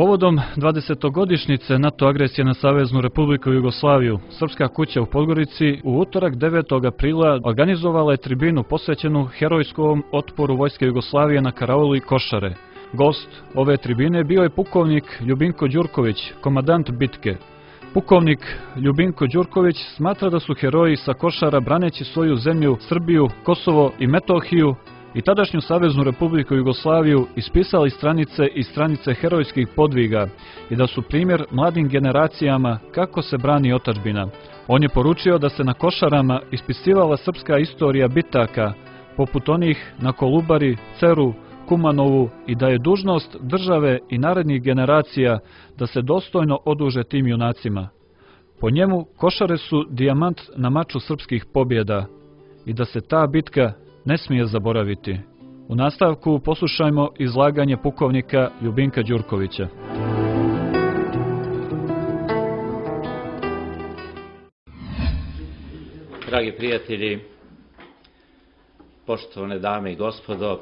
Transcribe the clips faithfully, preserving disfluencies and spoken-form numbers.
Povodom dvadesetogodišnjice NATO agresije na Saveznu Republiku Jugoslaviju, Srpska kuća u Podgorici u utorak devetog aprila organizovala je tribinu posvećenu herojskom otporu Vojske Jugoslavije na karauli Košare. Gost ove tribine bio je pukovnik Ljubinko Đurković, komandant bitke. Pukovnik Ljubinko Đurković smatra da su heroji sa Košara, braneći svoju zemlju, Srbiju, Kosovo i Metohiju i tadašnju Saveznu Republiku Jugoslaviju, ispisali stranice i stranice herojskih podviga i da su primjer mladim generacijama kako se brani otadžbina. On je poručio da se na Košarama ispisivala srpska istorija bitaka, poput onih na Kolubari, Ceru, Kumanovu, i da je dužnost države i narednih generacija da se dostojno oduže tim junacima. Po njemu, Košare su dijamant na maču srpskih pobjeda i da se ta bitka ne smije zaboraviti. U nastavku poslušajmo izlaganje pukovnika Ljubinka Đurkovića. Dragi prijatelji, poštovane dame i gospodo,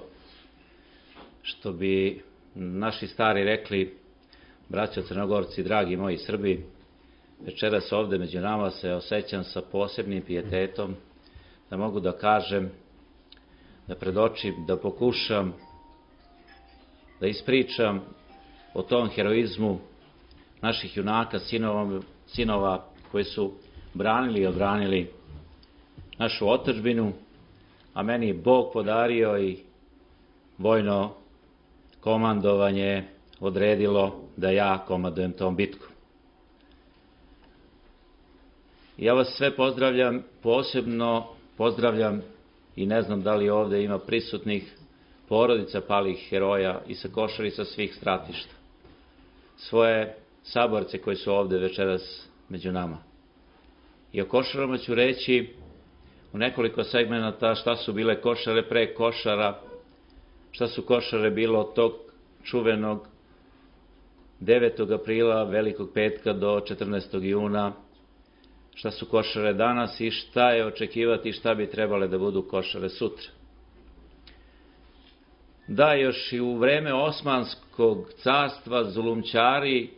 što bi naši stari rekli, braćo Crnogorci, dragi moji Srbi, večeras ovde među nama se osjećam sa posebnim pijetetom, da mogu da kažem, da predočim, da pokušam da ispričam o tom heroizmu naših junaka, sinova, sinova koji su branili i odbranili našu otadžbinu, a meni je Bog podario i vojno komandovanje odredilo da ja komandujem tom bitku. Ja vas sve pozdravljam, posebno pozdravljam i ne znam da li ovde ima prisutnih porodica palih heroja i sa Košara i sa svih stratišta. Svoje saborce koji su ovde večeras među nama. I o Košarama ću reći u nekoliko segmenata šta su bile Košare pre Košara, šta su Košare bilo od tog čuvenog devetog aprila, velikog petka, do četrnaestog juna, šta su Košare danas i šta je očekivati i šta bi trebale da budu Košare sutra. Da, još i u vreme Osmanskog carstva zulumčari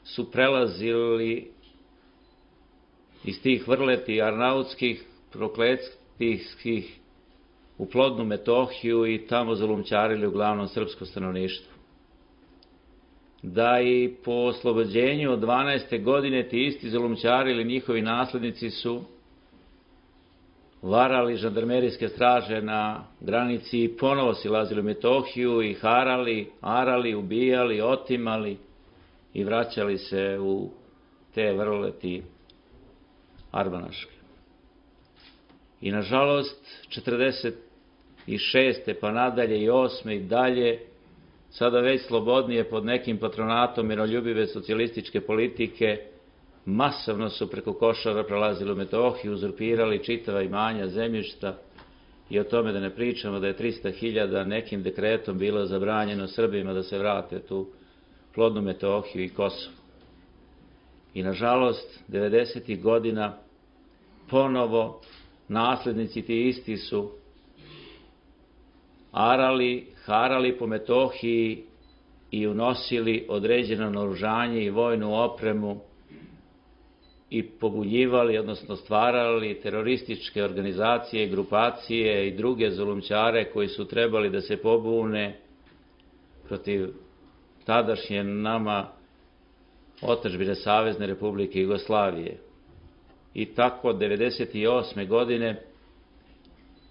su prelazili iz tih vrleti arnautskih, prokletskih u plodnu Metohiju i tamo zulumčarili uglavnom srpsko stanovništvo. Da i po oslobođenju od dvanaeste godine ti isti zulumčari ili njihovi naslednici su varali žandarmerijske straže na granici i ponovo silazili u Metohiju i harali, arali, ubijali, otimali i vraćali se u te vrleti arbanaške. I nažalost, četrdeset šeste pa nadalje i osme i dalje, sada već slobodnije pod nekim patronatom miroljubive socijalističke politike, masovno su preko Košara prelazili u Metohiju, uzurpirali čitava imanja, zemljišta, i o tome da ne pričamo da je trista hiljada nekim dekretom bilo zabranjeno Srbima da se vrate tu plodnu Metohiju i Kosovo. I nažalost, devedesetih godina ponovo naslednici ti isti su arali, harali po Metohiji i unosili određeno naoružanje i vojnu opremu i pobuljivali, odnosno stvarali terorističke organizacije, grupacije i druge zulumčare koji su trebali da se pobune protiv tadašnje nama otadžbine Savezne Republike Jugoslavije. I tako od devedeset osme godine,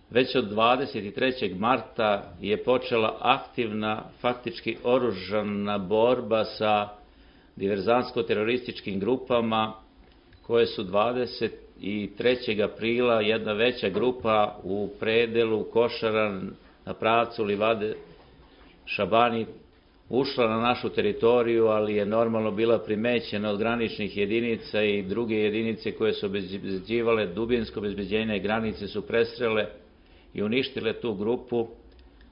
već od dvadeset trećeg marta je počela aktivna, faktički oružana borba sa diverzantsko-terorističkim grupama koje su dvadeset trećeg aprila jedna veća grupa u predelu Košara na pravcu Livade Šabani ušla na našu teritoriju, ali je normalno bila primećena od graničnih jedinica i druge jedinice koje su obezbeđivale dubinsko obezbeđenje granice su presrele i uništile tu grupu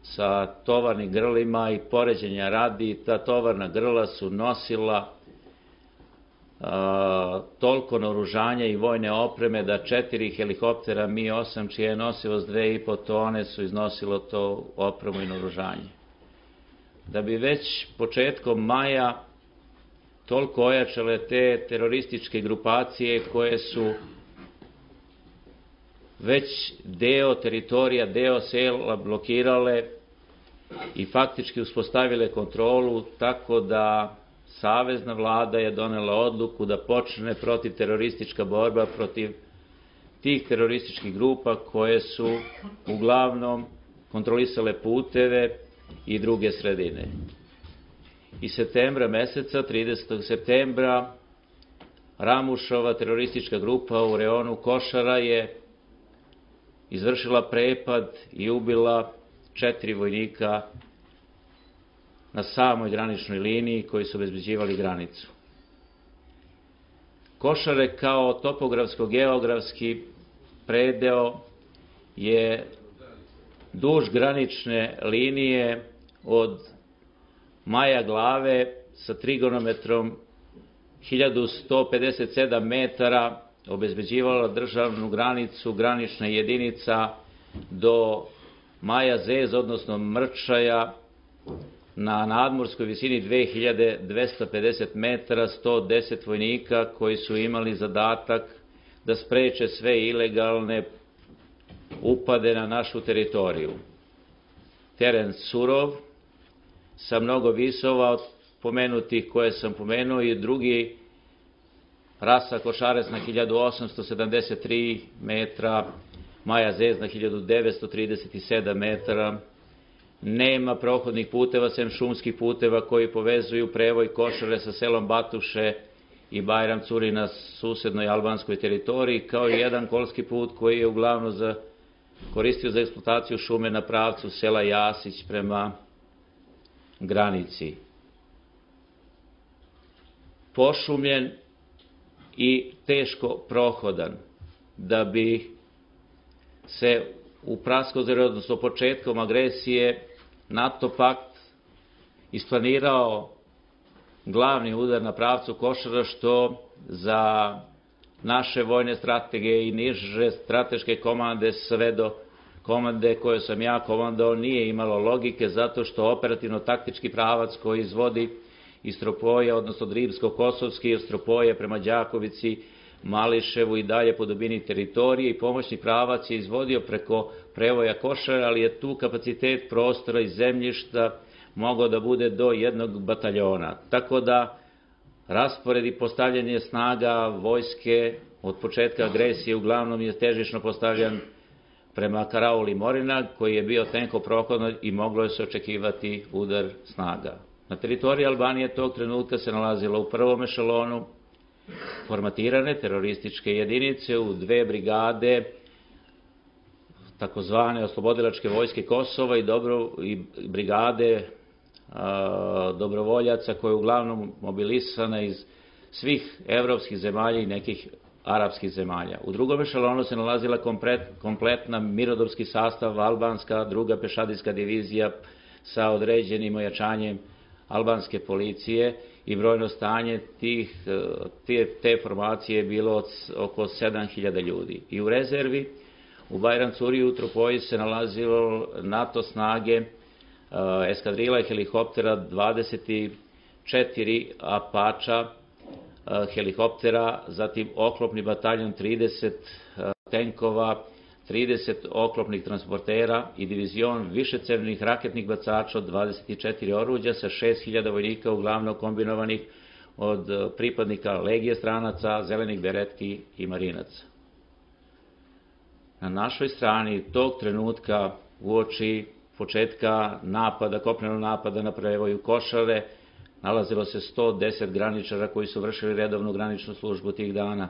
sa tovarnim grlima i poređenja radi. Ta tovarna grla su nosila a, toliko naoružanja i vojne opreme da četiri helikoptera Mi osam, čija je nosivost dve i po tone, su iznosilo to opremu i naoružanje. Da bi već početkom maja toliko ojačale te terorističke grupacije koje su već deo teritorija, deo sela blokirale i faktički uspostavile kontrolu, tako da savezna vlada je donela odluku da počne protiv teroristička borba protiv tih terorističkih grupa koje su uglavnom kontrolisale puteve i druge sredine. I septembra meseca, tridesetog septembra, Ramušova teroristička grupa u reonu Košara je izvršila prepad i ubila četiri vojnika na samoj graničnoj liniji koji su obezbeđivali granicu. Košare kao topografsko-geografski predeo je duž granične linije od Maja Glave sa trigonometrom hiljadu sto pedeset sedam metara obezbeđivala državnu granicu, granična jedinica do Maja Zez, odnosno Mrčaja, na nadmorskoj visini dve hiljade dvesta pedeset metara, sto deset vojnika koji su imali zadatak da spreče sve ilegalne upade na našu teritoriju. Teren surov, sa mnogo visova od pomenutih koje sam pomenuo, i drugi Rasa Košarec na hiljadu osamsto sedamdeset tri metra, Maja Zez na hiljadu devetsto trideset sedam metara. Nema prohodnih puteva, sem šumskih puteva koji povezuju prevoj Košare sa selom Batuše i Bajram Curi na susednoj albanskoj teritoriji, kao i jedan kolski put koji je uglavnom za, koristio za eksploataciju šume na pravcu sela Jasić prema granici. Pošumljen i teško prohodan, da bi se u Praskozori, odnosno početkom agresije, NATO pakt isplanirao glavni udar na pravcu Košara, što za naše vojne strategije i niže strateške komande, sve do komande koje sam ja komandao, nije imalo logike, zato što operativno-taktički pravac koji izvodi iz Tropoja, odnosno Rimsko-Kosovski, iz Tropoja prema Đakovici, Mališevu i dalje po dubini teritorije, i pomoćni pravac je izvodio preko prevoja Košara, ali je tu kapacitet prostora i zemljišta mogao da bude do jednog bataljona. Tako da raspored i postavljanje snaga vojske od početka agresije uglavnom je težišno postavljan prema Karauli Morina, koji je bio tenko prohodan i moglo je se očekivati udar snaga. Na teritoriji Albanije tog trenutka se nalazilo u prvom ešalonu formatirane terorističke jedinice u dve brigade takozvane oslobodilačke vojske Kosova i, dobro, i brigade a, dobrovoljaca koje je uglavnom mobilisana iz svih evropskih zemalja i nekih arapskih zemalja. U drugom ešalonu se nalazila komplet, kompletna mirnodopski sastav, albanska druga pešadijska divizija sa određenim ojačanjem albanske policije, i brojno stanje tih, te, te formacije je bilo od, oko sedam hiljada ljudi. I u rezervi u Bajram Curi u Tropoji se nalazilo NATO snage, eskadrila helikoptera, dvadeset četiri Apača helikoptera, zatim oklopni bataljon, trideset tenkova, trideset oklopnih transportera i divizion višecevnih raketnih bacača od dvadeset četiri oruđa sa šest hiljada vojnika, uglavnom kombinovanih od pripadnika Legije stranaca, zelenih beretki i marinaca. Na našoj strani tog trenutka, uoči početka napada, kopnenog napada na prevoju Košare, nalazilo se sto deset graničara koji su vršili redovnu graničnu službu tih dana.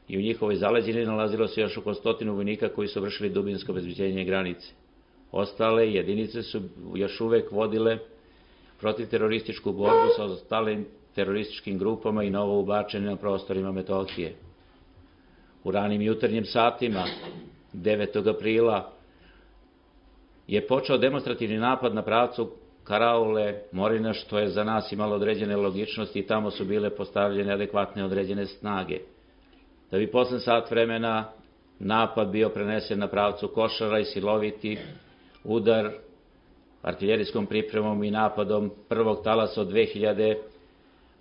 I u njihovoj zaleđini nalazilo se još oko stotinu vojnika koji su vršili dubinsko obezbeđenje granice. Ostale jedinice su još uvek vodile protivterorističku borbu sa ostalim terorističkim grupama i novo ubačene na prostorima Metohije. U ranim jutarnjim satima devetog aprila je počeo demonstrativni napad na pravcu Karaule Morina, što je za nas imalo određene logičnosti, i tamo su bile postavljene adekvatne određene snage. Da bi posle sat vremena napad bio prenesen na pravcu Košara i siloviti udar artiljerijskom pripremom i napadom prvog talasa od dve hiljade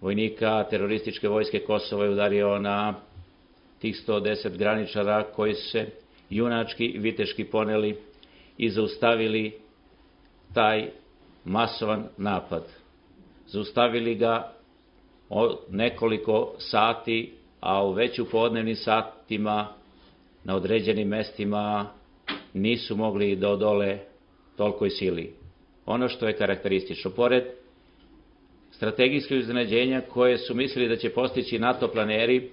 vojnika terorističke vojske Kosova je udario na tih sto deset graničara koji su se junački i viteški poneli i zaustavili taj masovan napad. Zaustavili ga nekoliko sati, a u već u podnevnim satima na određenim mestima nisu mogli da odole tolikoj sili. Ono što je karakteristično, pored strategijskih iznenađenja koje su mislili da će postići NATO planeri,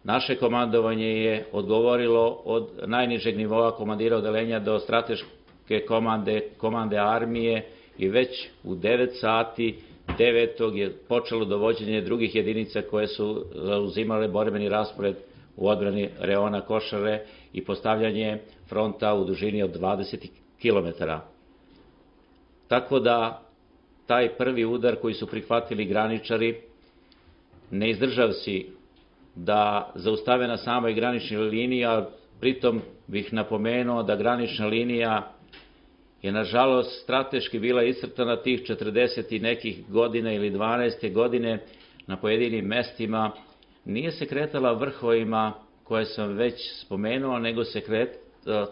naše komandovanje je odgovorilo od najnižeg nivoa komandira odelenja do strateške komande, komande armije i već u devet sati devetog je počelo dovođenje drugih jedinica koje su zauzimale borbeni raspored u odbrani reona Košare i postavljanje fronta u dužini od dvadeset kilometara. Tako da taj prvi udar koji su prihvatili graničari, ne izdržavši da zaustave na samoj graničnoj liniji, a pritom bih napomenuo da granična linija je nažalost strateški bila iscrtana tih četrdeset i nekih godina ili dvanaeste godine na pojedinim mestima, nije se kretala vrhovima koje sam već spomenuo, nego se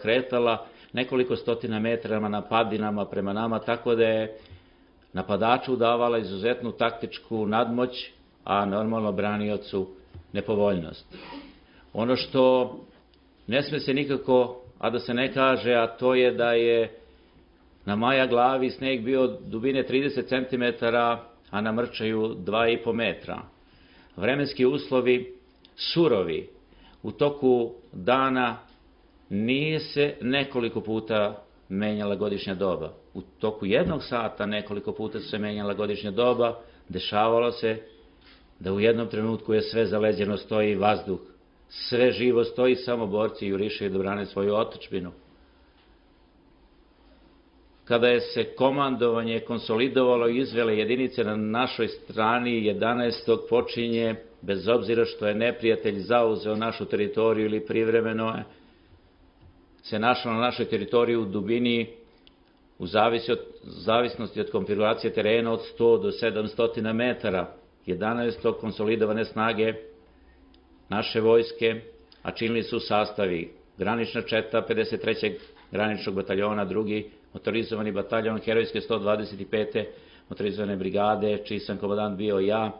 kretala nekoliko stotina metrama na padinama prema nama, tako da je napadaču davala izuzetnu taktičku nadmoć, a normalno braniocu nepovoljnost. Ono što ne sme se nikako, a da se ne kaže, a to je da je na Maja glavi sneg bio dubine trideset centimetara, a na Mrčaju dva i po metra. Vremenski uslovi surovi. U toku dana nije se nekoliko puta menjala godišnja doba. U toku jednog sata nekoliko puta se menjala godišnja doba. Dešavalo se da u jednom trenutku je sve zaleđeno, stoji vazduh. Sve živo stoji, samo borci jurišaju da brane svoju otadžbinu. Kada je se komandovanje konsolidovalo i izvele jedinice na našoj strani, jedanaestog počinje, bez obzira što je neprijatelj zauzeo našu teritoriju ili privremeno se našao na našoj teritoriji u dubini, u zavisnosti od konfiguracije terena, od sto do sedamsto metara. jedanaestog konsolidovane snage naše vojske, a činili su sastavi granična četa pedeset trećeg graničnog bataljona, drugi motorizovani bataljon herojske sto dvadeset pete motorizovane brigade, čiji sam komandant bio ja,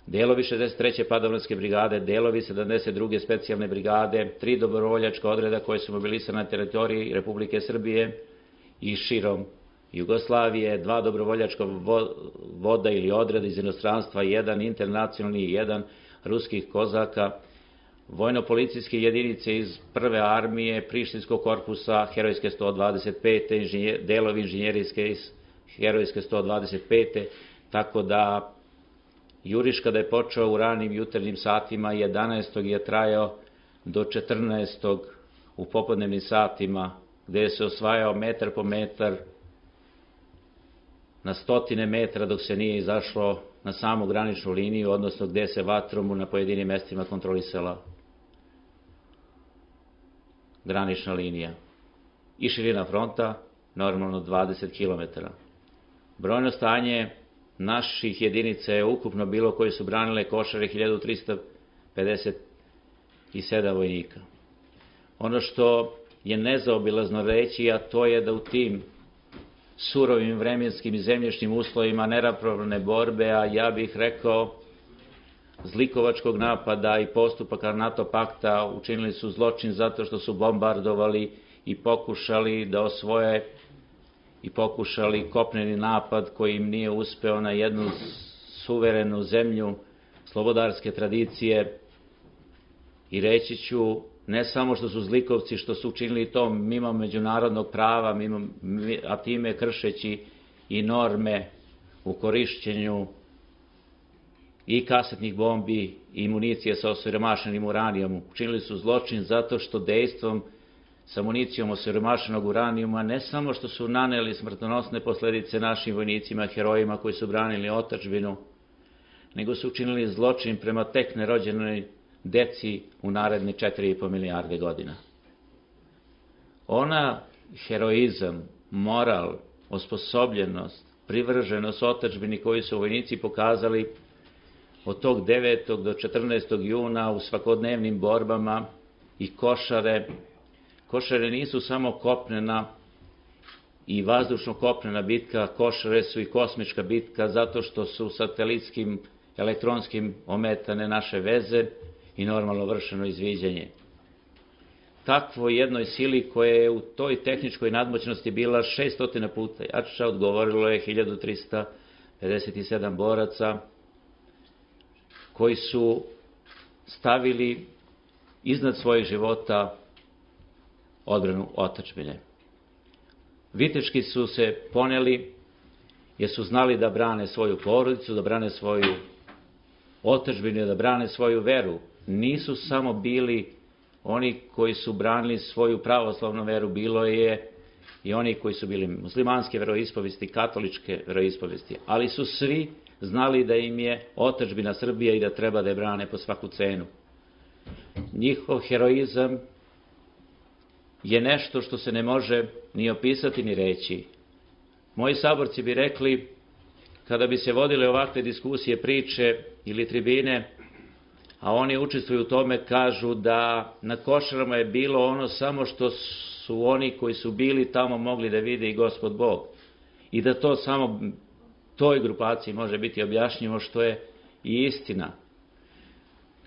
delovi šezdeset treće padobranske brigade, delovi sedamdeset druge specijalne brigade, tri dobrovoljačka odreda koje su mobilisane na teritoriji Republike Srbije i širom Jugoslavije, dva dobrovoljačka voda ili odreda iz inostranstva, jedan internacionalni i jedan ruskih kozaka, vojno-policijske jedinice iz prve armije, Prištinskog korpusa, herojske sto dvadeset pete, delovi inženjerijske iz herojske sto dvadeset pete, tako da juriš kada je počeo u ranim jutarnjim satima, jedanaestog je trajao do četrnaestog u popodnevnim satima, gde se osvajao metar po metar, na stotine metra dok se nije izašlo na samu graničnu liniju, odnosno gde se vatrom na pojedinim mestima kontrolisala granična linija. I širina fronta, normalno dvadeset kilometara. Brojno stanje naših jedinica je ukupno bilo koje su branile Košare hiljadu trista pedeset sedam vojnika. Ono što je nezaobilazno reći, a to je da u tim surovim vremenskim i zemljišnim uslovima neravnopravne borbe, a ja bih rekao zlikovačkog napada i postupaka NATO pakta, učinili su zločin zato što su bombardovali i pokušali da osvoje i pokušali kopneni napad koji im nije uspeo na jednu suverenu zemlju slobodarske tradicije. I reći ću, ne samo što su zlikovci, što su učinili to mimo međunarodnog prava, mimo, a time kršeći i norme u korišćenju i kasetnih bombi i municije sa osiromašenim uranijom. Učinili su zločin zato što dejstvom sa municijom osiromašenog uranijuma ne samo što su naneli smrtonosne posledice našim vojnicima, herojima koji su branili otadžbinu, nego su učinili zločin prema tek nerođenoj deci u naredne četiri i po milijarde godina. Ona heroizam, moral, osposobljenost privrženost otadžbini koju su vojnici pokazali od tog devetog do četrnaestog juna u svakodnevnim borbama i Košare. Košare nisu samo kopnena i vazdušno-kopnena bitka, Košare su i kosmička bitka zato što su satelitskim, elektronskim ometane naše veze i normalno vršeno izviđanje. Takvo jednoj sili koja je u toj tehničkoj nadmoćnosti bila šesto puta jača, odgovorilo je hiljadu trista pedeset sedam boraca koji su stavili iznad svojih života odbranu otadžbine. Viteški su se poneli jer su znali da brane svoju porodicu, da brane svoju otadžbinu, da brane svoju veru. Nisu samo bili oni koji su branili svoju pravoslavnu veru, bilo je i oni koji su bili muslimanske veroispovesti, katoličke veroispovesti, ali su svi znali da im je otadžbina Srbija i da treba da je brane po svaku cenu. Njihov heroizam je nešto što se ne može ni opisati ni reći. Moji saborci bi rekli, kada bi se vodile ovakve diskusije, priče ili tribine, a oni učestvuju u tome, kažu da na Košarama je bilo ono samo što su oni koji su bili tamo mogli da vide i Gospod Bog. I da to samo toj grupaciji može biti objašnjivo, što je i istina.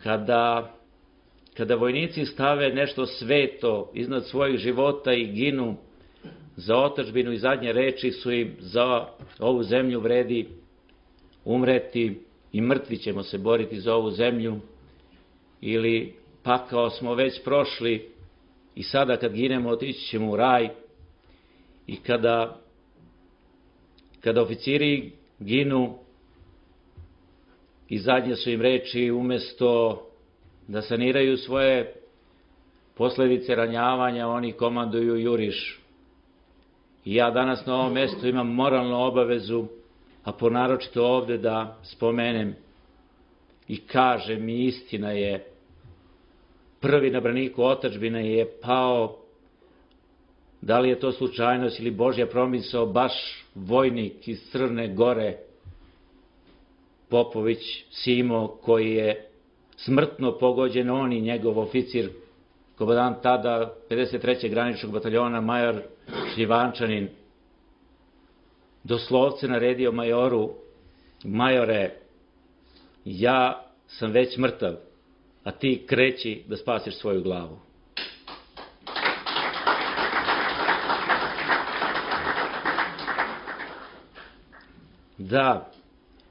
Kada, kada vojnici stave nešto sveto iznad svojih života i ginu za otadžbinu i zadnje reči su im za ovu zemlju vredi umreti i mrtvi ćemo se boriti za ovu zemlju, ili pakao smo već prošli i sada kad ginemo otići ćemo u raj. I kada, kada oficiri ginu i zadnje su im reči, umesto da saniraju svoje posledice ranjavanja, oni komanduju juriš. I ja danas na ovom mjestu imam moralnu obavezu, a ponaročito ovde da spomenem i kažem, i istina je, prvi na braniku otadžbine je pao, da li je to slučajnost ili Božja promisao, baš vojnik iz Crne Gore, Popović Simo, koji je smrtno pogođen, on i njegov oficir, komandant tada pedeset trećeg graničnog bataljona, major Šljivančanin, doslovce naredio majoru: majore, ja sam već mrtav, a ti kreći da spasiš svoju glavu. Da,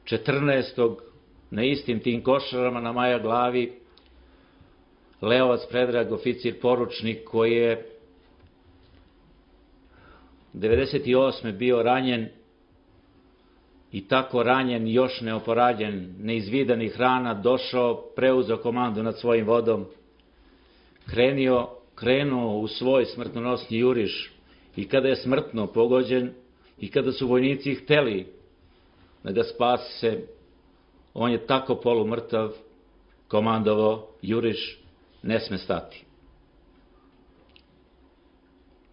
četrnaestog na istim tim Košarama na Maja glavi Leovac Predrag, oficir poručnik, koji je devedeset osme bio ranjen i tako ranjen, još neoporađen, neizvidanih rana, došao, preuzeo komandu nad svojim vodom, krenio, krenuo u svoj smrtonosni juriš i kada je smrtno pogođen i kada su vojnici hteli da ga spase, on je tako polumrtav komandovao: juriš ne sme stati.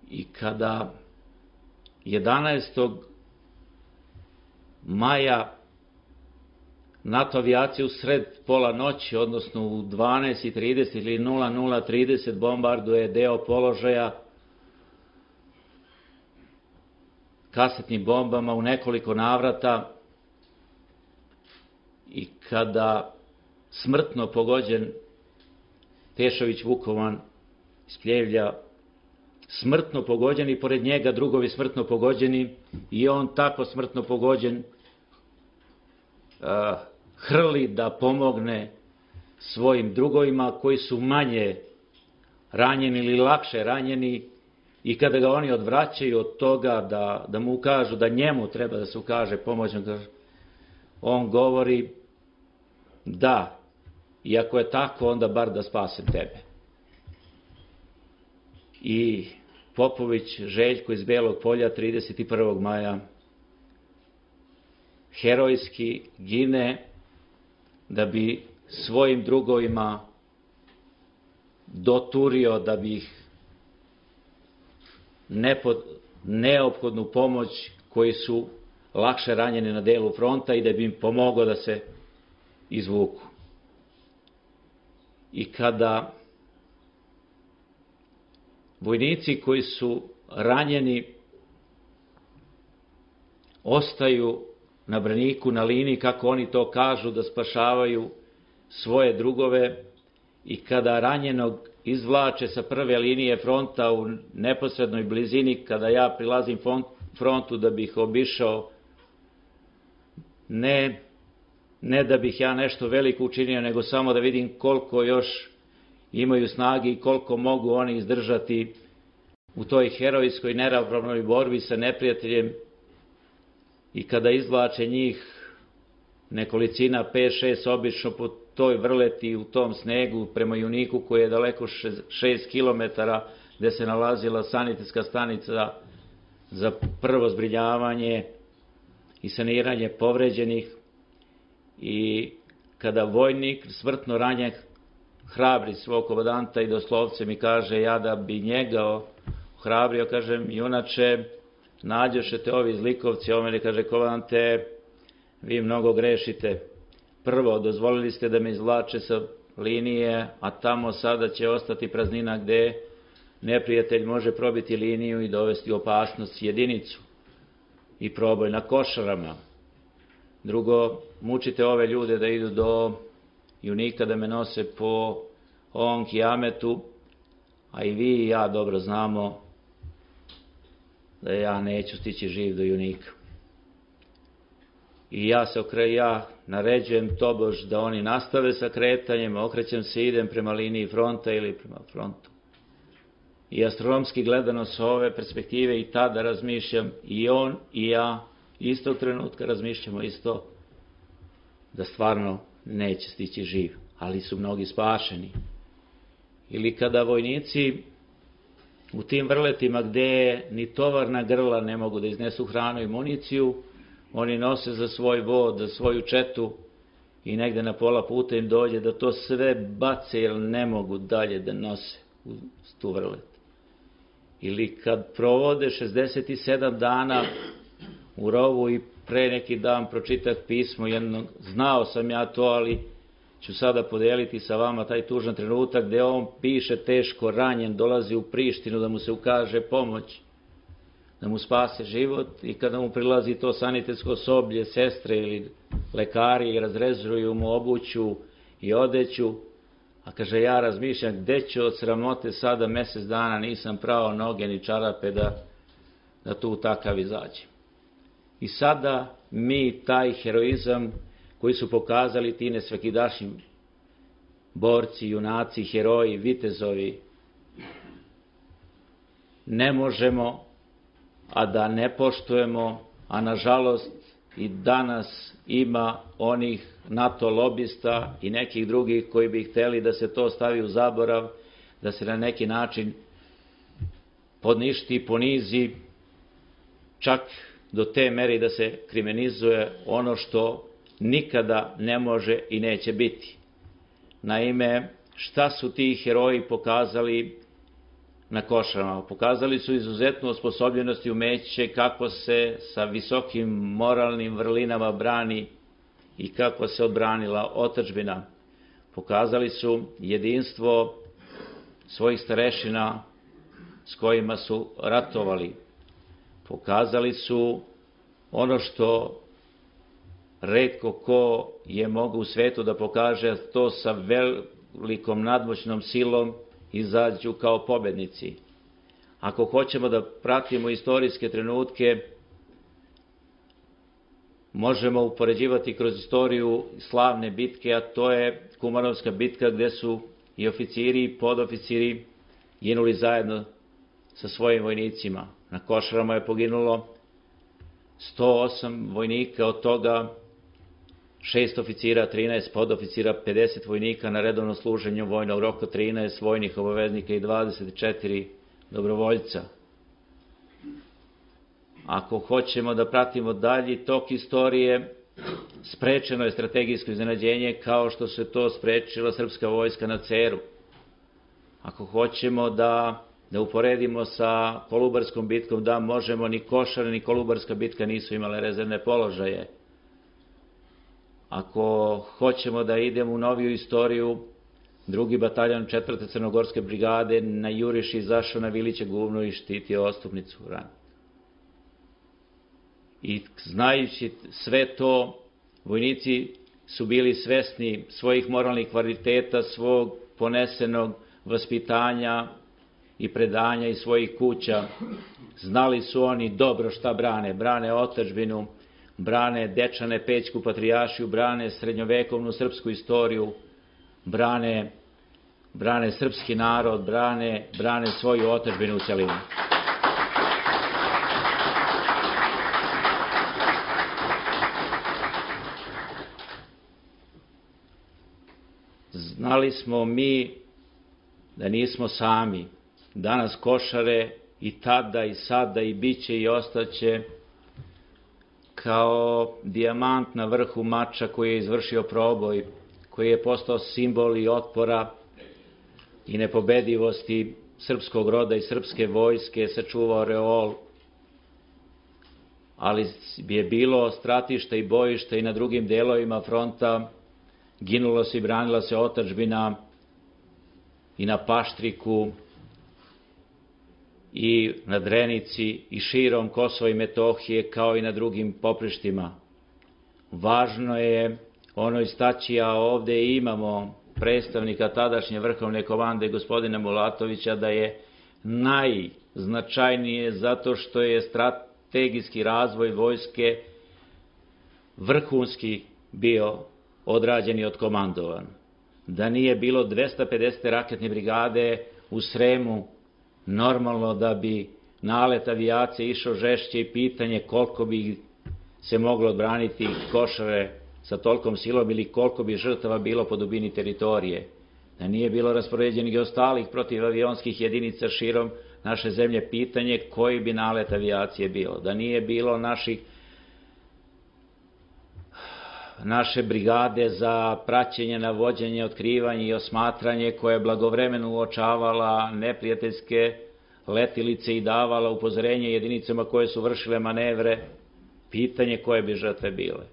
I kada jedanaestog maja NATO avijacija u sred pola noći, odnosno u dvanaest i trideset ili nula nula trideset bombarduje deo položaja kasetnim bombama u nekoliko navrata, i kada smrtno pogođen Tešović Vukovan iz Pljevlja, smrtno pogođen i pored njega drugovi smrtno pogođeni, i on tako smrtno pogođen uh, hrli da pomogne svojim drugovima koji su manje ranjeni ili lakše ranjeni, i kada ga oni odvraćaju od toga da, da mu ukažu da njemu treba da se ukaže pomoć, on govori: da, i ako je tako, onda bar da spasem tebe. I Popović Željko iz Belog Polja trideset prvog maja herojski gine da bi svojim drugovima doturio, da bi ih neophodnu pomoć koju su lakše ranjeni na delu fronta i da bi im pomogao da se izvuku. I kada vojnici koji su ranjeni ostaju na braniku, na liniji, kako oni to kažu, da spašavaju svoje drugove, i kada ranjenog izvlače sa prve linije fronta u neposrednoj blizini, kada ja prilazim frontu da bih obišao, ne, ne da bih ja nešto veliko učinio, nego samo da vidim koliko još imaju snage i koliko mogu oni izdržati u toj herojskoj neravnopravnoj borbi sa neprijateljem. I kada izvlače njih nekolicina, pet šest, obično po toj vrleti u tom snegu prema Juniku, koji je daleko šest kilometara, gde se nalazila sanitetska stanica za prvo zbrinjavanje i saniranje povređenih. I kada vojnik smrtno ranjen hrabri svog komandanta i doslovce mi kaže, ja da bi njega hrabrio, kažem, junače, nađošete ovi zlikovci, on meni kaže, komandante, vi mnogo grešite. Prvo, dozvolili ste da me izvlače sa linije, a tamo sada će ostati praznina gde neprijatelj može probiti liniju i dovesti u opasnost jedinicu i proboj na Košarama. Drugo, mučite ove ljude da idu do Junika, da me nose po ovom kijametu, a i vi i ja dobro znamo da ja neću stići živ do Junika. I ja se okre, ja naređujem tobož da oni nastave sa kretanjem, okrećem se i idem prema liniji fronta ili prema frontu. I astronomski gledano s ove perspektive i tada razmišljam, i on i ja istog trenutka razmišljamo isto, da stvarno neće stići živ, ali su mnogi spašeni. Ili kada vojnici u tim vrletima gde ni tovarna grla ne mogu da iznesu hranu i municiju, oni nose za svoj vod, za svoju četu, i negde na pola puta im dođe da to sve bace jer ne mogu dalje da nose u tu vrlet. Ili kad provode šezdeset sedam dana u rovu, i pre neki dan pročitah pismo jednog, znao sam ja to, ali ću sada podeliti sa vama taj tužan trenutak gde on piše teško ranjen, dolazi u Prištinu da mu se ukaže pomoć, da mu spase život, i kada mu prilazi to sanitetsko osoblje, sestre ili lekari, i razrezuju mu obuću i odeću, a kaže, ja razmišljam gde ću od sramote sada, mesec dana nisam prao noge ni čarape da, da tu takav izađem. I sada mi taj heroizam koji su pokazali ti nesvekidašnji borci, junaci, heroji, vitezovi, ne možemo a da ne poštujemo, a nažalost i danas ima onih NATO lobista i nekih drugih koji bi hteli da se to stavi u zaborav, da se na neki način podništi, ponizi, čak do te mere da se kriminalizuje ono što nikada ne može i neće biti. Naime, šta su ti heroji pokazali na Košarama? Pokazali su izuzetnu osposobljenost i umeće kako se sa visokim moralnim vrlinama brani i kako se odbranila otadžbina. Pokazali su jedinstvo svojih starešina s kojima su ratovali. Pokazali su ono što retko ko je mogao u svetu da pokaže, to sa velikom nadmoćnom silom izađu kao pobednici. Ako hoćemo da pratimo istorijske trenutke, možemo upoređivati kroz istoriju slavne bitke, a to je Kumanovska bitka, gde su i oficiri i podoficiri ginuli zajedno sa svojim vojnicima. Na Košarama je poginulo sto osam vojnika, od toga šest oficira, trinaest podoficira, pedeset vojnika na redovno služenje vojnog roka, trinaest vojnih obaveznika i dvadeset četiri dobrovoljca. Ako hoćemo da pratimo dalji tok istorije, sprečeno je strategijsko iznenađenje kao što se to sprečila srpska vojska na Ceru. Ako hoćemo da da uporedimo sa Kolubarskom bitkom, da možemo, ni Košare ni Kolubarska bitka nisu imale rezervne položaje. Ako hoćemo da idemo u noviju istoriju, drugi bataljon četvrte crnogorske brigade na juriš izašao na Viliće guvno i štitio Ostupnicu ran. I znajući sve to, vojnici su bili svesni svojih moralnih kvaliteta, svog ponesenog vaspitanja i predanja iz svojih kuća. Znali su oni dobro šta brane. Brane otadžbinu, brane Dečane, Pećku patrijaršiju, brane srednjovekovnu srpsku istoriju, brane, brane srpski narod, brane, brane svoju otadžbinu u celini. Znali smo mi da nismo sami. Danas Košare i tada i sada i biće i ostaće kao dijamant na vrhu mača koji je izvršio proboj, koji je postao simbol i otpora i nepobedivosti srpskog roda i srpske vojske, sačuvao reol, ali je bilo stratišta i bojišta i na drugim delovima fronta, ginulo se i branila se otadžbina i na Paštriku i na Drenici i širom Kosova i Metohije, kao i na drugim poprištima. Važno je ono istaći, a ovde imamo predstavnika tadašnje vrhovne komande gospodina Mulatovića, da je najznačajnije zato što je strategijski razvoj vojske vrhunski bio odrađen i odkomandovan. Da nije bilo dvesta pedeset raketne brigade u Sremu, normalno da bi nalet avijacije išao žešće i pitanje koliko bi se moglo odbraniti Košare sa tolkom silom ili koliko bi žrtava bilo po dubini teritorije. Da nije bilo raspoređenih ostalih protivavionskih jedinica širom naše zemlje, pitanje koji bi nalet avijacije bilo. Da nije bilo naših naše brigade za praćenje, navođenje, otkrivanje i osmatranje, koja je blagovremeno uočavala neprijateljske letilice i davala upozorenje jedinicama koje su vršile manevre, pitanje koje bi žrtve bile.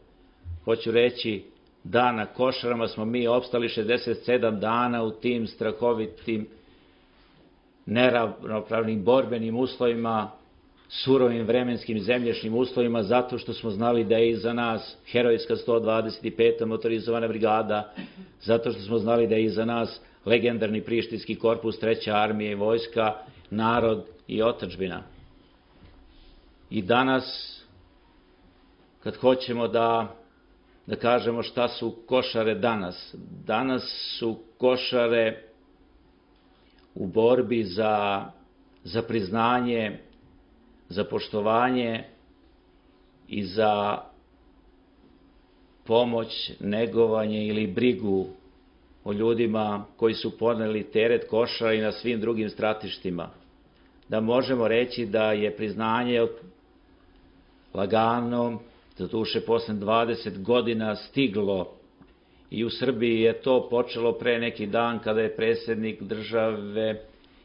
Hoću reći da na Košarama smo mi opstali šezdeset sedam dana u tim strahovitim, neravnopravnim borbenim uslovima, surovim vremenskim zemljišnim uslovima, zato što smo znali da je iza nas herojska sto dvadeset peta motorizovana brigada, zato što smo znali da je iza nas legendarni Prištinski korpus, treća armija i vojska, narod i otadžbina. I danas, kad hoćemo da, da kažemo šta su Košare danas, danas su Košare u borbi za, za priznanje, za poštovanje i za pomoć, negovanje ili brigu o ljudima koji su podneli teret Košara i na svim drugim stratištima. Da možemo reći da je priznanje lagano, doduše posle dvadeset godina stiglo, i u Srbiji je to počelo pre neki dan kada je predsjednik države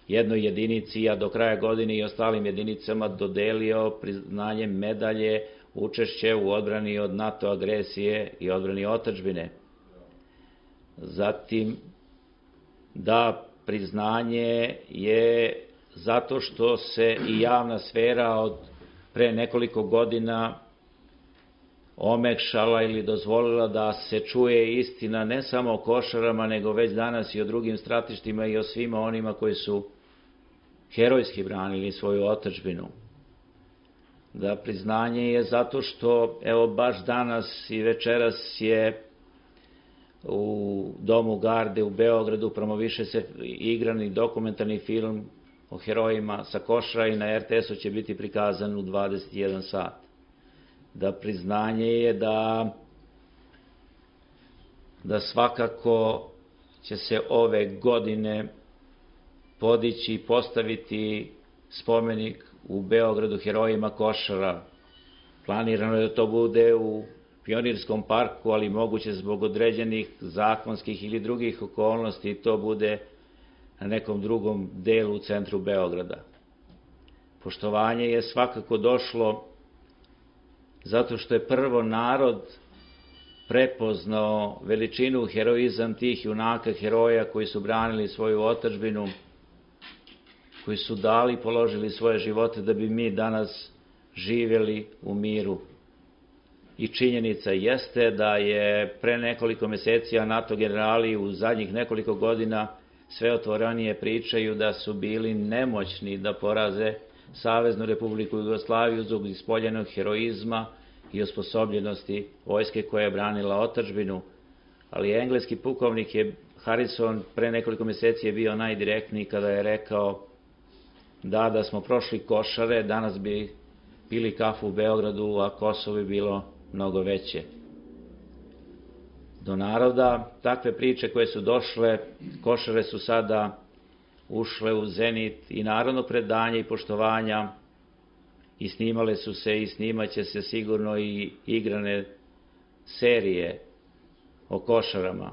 jednoj jedinici, a do kraja godine i ostalim jedinicama dodelio priznanje medalje učešće u odbrani od NATO agresije i odbrani otadžbine. Zatim, da priznanje je zato što se i javna sfera od pre nekoliko godina omekšala ili dozvolila da se čuje istina ne samo o Košarama, nego već danas i o drugim stratištima i o svima onima koji su herojski branili svoju otadžbinu. Da priznanje je zato što, evo baš danas i večeras je u Domu Garde u Beogradu promoviše se igrani dokumentarni film o herojima sa Košara i na er te esu će biti prikazan u dvadeset jedan sat. Da priznanje je da, da svakako će se ove godine podići i postaviti spomenik u Beogradu herojima Košara. Planirano je da to bude u Pionirskom parku, ali moguće zbog određenih zakonskih ili drugih okolnosti to bude na nekom drugom delu u centru Beograda. Poštovanje je svakako došlo zato što je prvo narod prepoznao veličinu, heroizam tih junaka, heroja koji su branili svoju otadžbinu, koji su dali i položili svoje živote da bi mi danas živjeli u miru. I činjenica jeste da je pre nekoliko meseci NATO generali u zadnjih nekoliko godina sve otvorenije pričaju da su bili nemoćni da poraze Saveznu Republiku Jugoslaviju zbog ispoljenog heroizma i osposobljenosti vojske koja je branila otadžbinu, ali engleski pukovnik je Harrison pre nekoliko meseci je bio najdirektniji kada je rekao da da smo prošli Košare, danas bi pili kafu u Beogradu, a Kosovo bi bilo mnogo veće. Do naroda takve priče koje su došle, Košare su sada ušle u zenit i narodnog predanja i poštovanja i snimale su se i snimaće se sigurno i igrane serije o Košarama.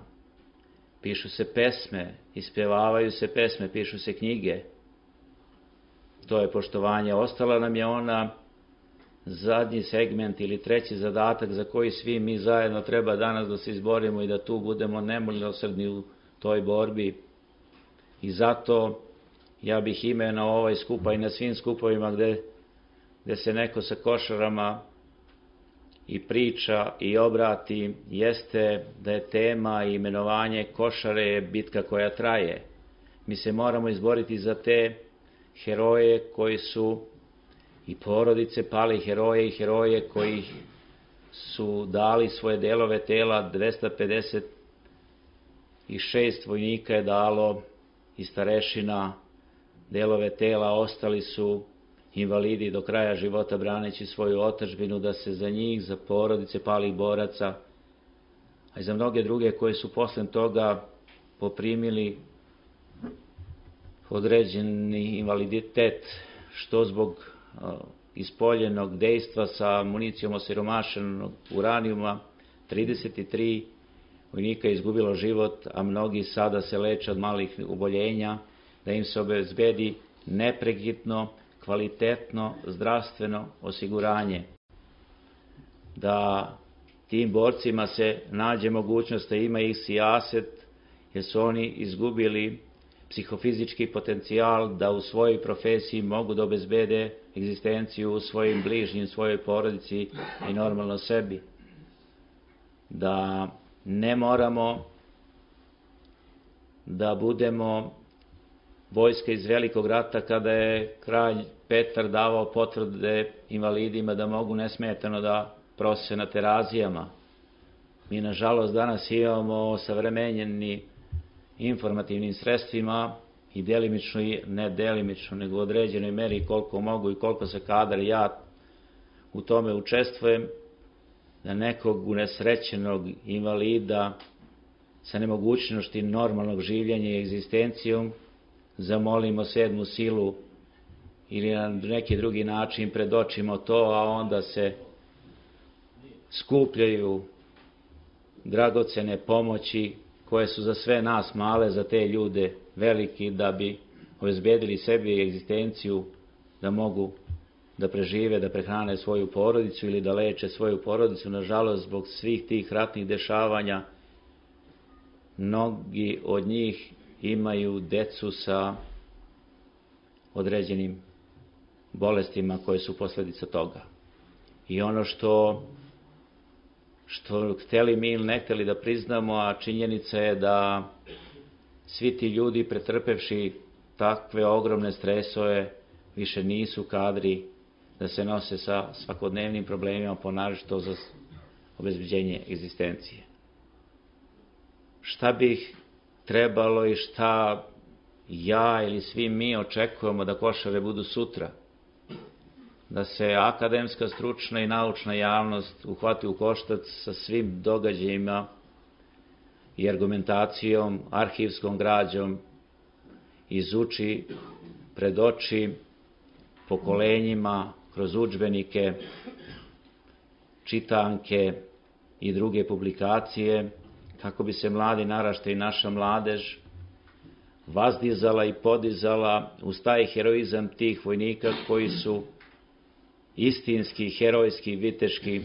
Pišu se pesme, ispevavaju se pesme, pišu se knjige. To je poštovanje. Ostala nam je ona zadnji segment ili treći zadatak za koji svi mi zajedno treba danas da se izborimo i da tu budemo nemilosrdni u toj borbi. I zato ja bih imenovao ovaj skupa i na svim skupovima gde, gde se neko sa Košarama i priča i obrati, jeste da je tema i imenovanje Košare bitka koja traje. Mi se moramo izboriti za te heroje koji su i porodice pali heroje i heroje koji su dali svoje delove tela. Dvesta pedeset šest vojnika je dalo i starešina delove tela, ostali su invalidi do kraja života braneći svoju otadžbinu, da se za njih, za porodice palih boraca, a i za mnoge druge koji su posle toga poprimili određeni invaliditet, što zbog ispoljenog dejstva sa municijom osiromašenog uranijuma. trideset tri vojnika je izgubilo život, a mnogi sada se leče od malih oboljenja, da im se obezbedi neprekidno, kvalitetno zdravstveno osiguranje. Da tim borcima se nađe mogućnost da ima ih sijaset, jer su oni izgubili psihofizički potencijal da u svojoj profesiji mogu da obezbede egzistenciju u svojim bližnjim, svojoj porodici i normalno sebi. Da ne moramo da budemo vojska iz Velikog rata kada je kralj Petar davao potvrde invalidima da mogu nesmetano da prose na terazijama. Mi, nažalost, danas imamo savremenjeni informativnim sredstvima i delimično, ne delimično, nego u određenoj meri koliko mogu i koliko se kadar ja u tome učestvujem, da nekog unesrećenog invalida sa nemogućnosti normalnog življenja i egzistencijom zamolimo sedmu silu ili na neki drugi način predočimo to, a onda se skupljaju dragocene pomoći koje su za sve nas male, za te ljude veliki, da bi obezbedili sebi egzistenciju, da mogu da prežive, da prehrane svoju porodicu ili da leče svoju porodicu. Nažalost, zbog svih tih ratnih dešavanja, mnogi od njih imaju decu sa određenim bolestima koje su posledica toga. I ono što što hteli mi ili ne hteli da priznamo, a činjenica je da svi ti ljudi pretrpevši takve ogromne stresove više nisu kadri da se nose sa svakodnevnim problemima, ponaročito za obezbeđenje egzistencije. Šta bih trebalo i šta ja ili svi mi očekujemo da Košare budu sutra? Da se akademska, stručna i naučna javnost uhvati u koštac sa svim događajima i argumentacijom, arhivskom građom, izuči, predoči pokolenjima kroz udžbenike, čitanke i druge publikacije, kako bi se mladi naraštaj i naša mladež, vazdizala i podizala uz taj heroizam tih vojnika koji su istinski, herojski, viteški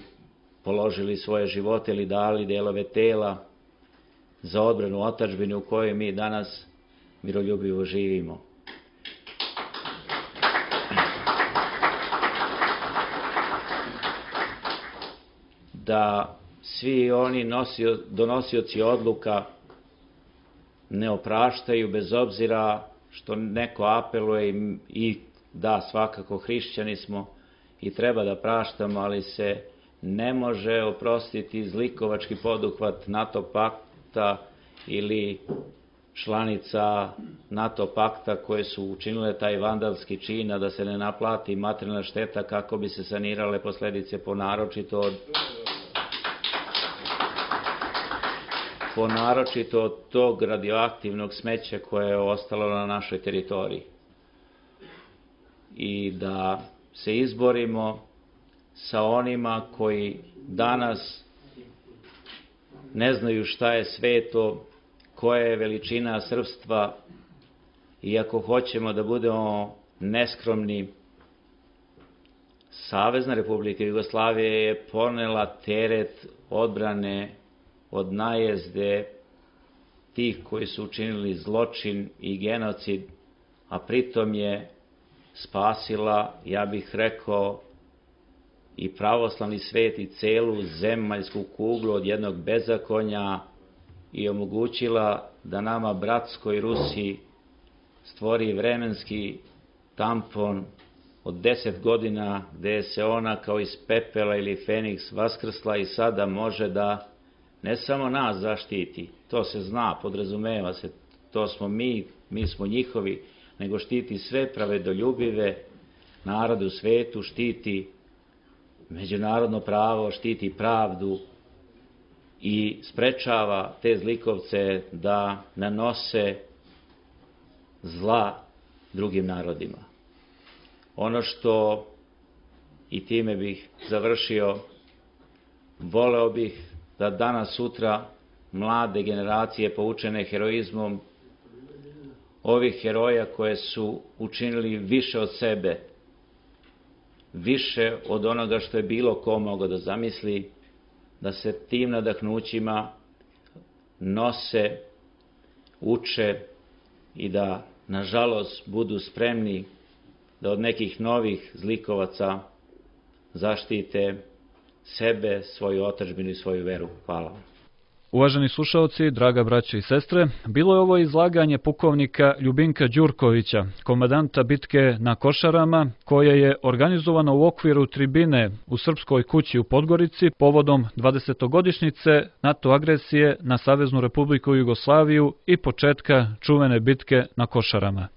položili svoje živote ili dali delove tela za odbranu otadžbine u kojoj mi danas miroljubivo živimo. Da svi oni nosio, donosioci odluka ne opraštaju bez obzira što neko apeluje i, i da, svakako hrišćani smo i treba da praštamo, ali se ne može oprostiti zlikovački poduhvat NATO pakta ili članica NATO pakta koje su učinile taj vandalski čin, a da se ne naplati materijalna šteta kako bi se sanirale posledice po naročito od po naročito od tog radioaktivnog smeća koje je ostalo na našoj teritoriji. I da se izborimo sa onima koji danas ne znaju šta je sveto, koja je veličina srpstva, i ako hoćemo da budemo neskromni, Savezna Republika Jugoslavija je ponela teret odbrane od najezde tih koji su učinili zločin i genocid, a pritom je spasila, ja bih rekao, i pravoslavni svet i celu zemaljsku kuglu od jednog bezakonja i omogućila da nama, bratskoj Rusiji, stvori vremenski tampon od deset godina gde se ona kao iz pepela ili Feniks vaskrsla i sada može da ne samo nas zaštiti, to se zna, podrazumeva se, to smo mi, mi smo njihovi, nego štiti sve pravedoljubive narode u svetu, štiti međunarodno pravo, štiti pravdu i sprečava te zlikovce da nanose zla drugim narodima. Ono što, i time bih završio, voleo bih da danas sutra mlade generacije poučene heroizmom ovih heroja koje su učinili više od sebe, više od onoga što je bilo ko mogao da zamisli, da se tim nadahnućima nose, uče i da, nažalost, budu spremni da od nekih novih zlikovaca zaštite sebe, svoju otadžbinu i svoju veru. Hvala. Uvaženi slušaoci, draga braćo i sestre, bilo je ovo izlaganje pukovnika Ljubinka Đurkovića, komandanta bitke na Košarama, koje je organizovano u okviru tribine u Srpskoj kući u Podgorici povodom dvadesetogodišnjice NATO agresije na Saveznu Republiku Jugoslaviju i početka čuvene bitke na Košarama.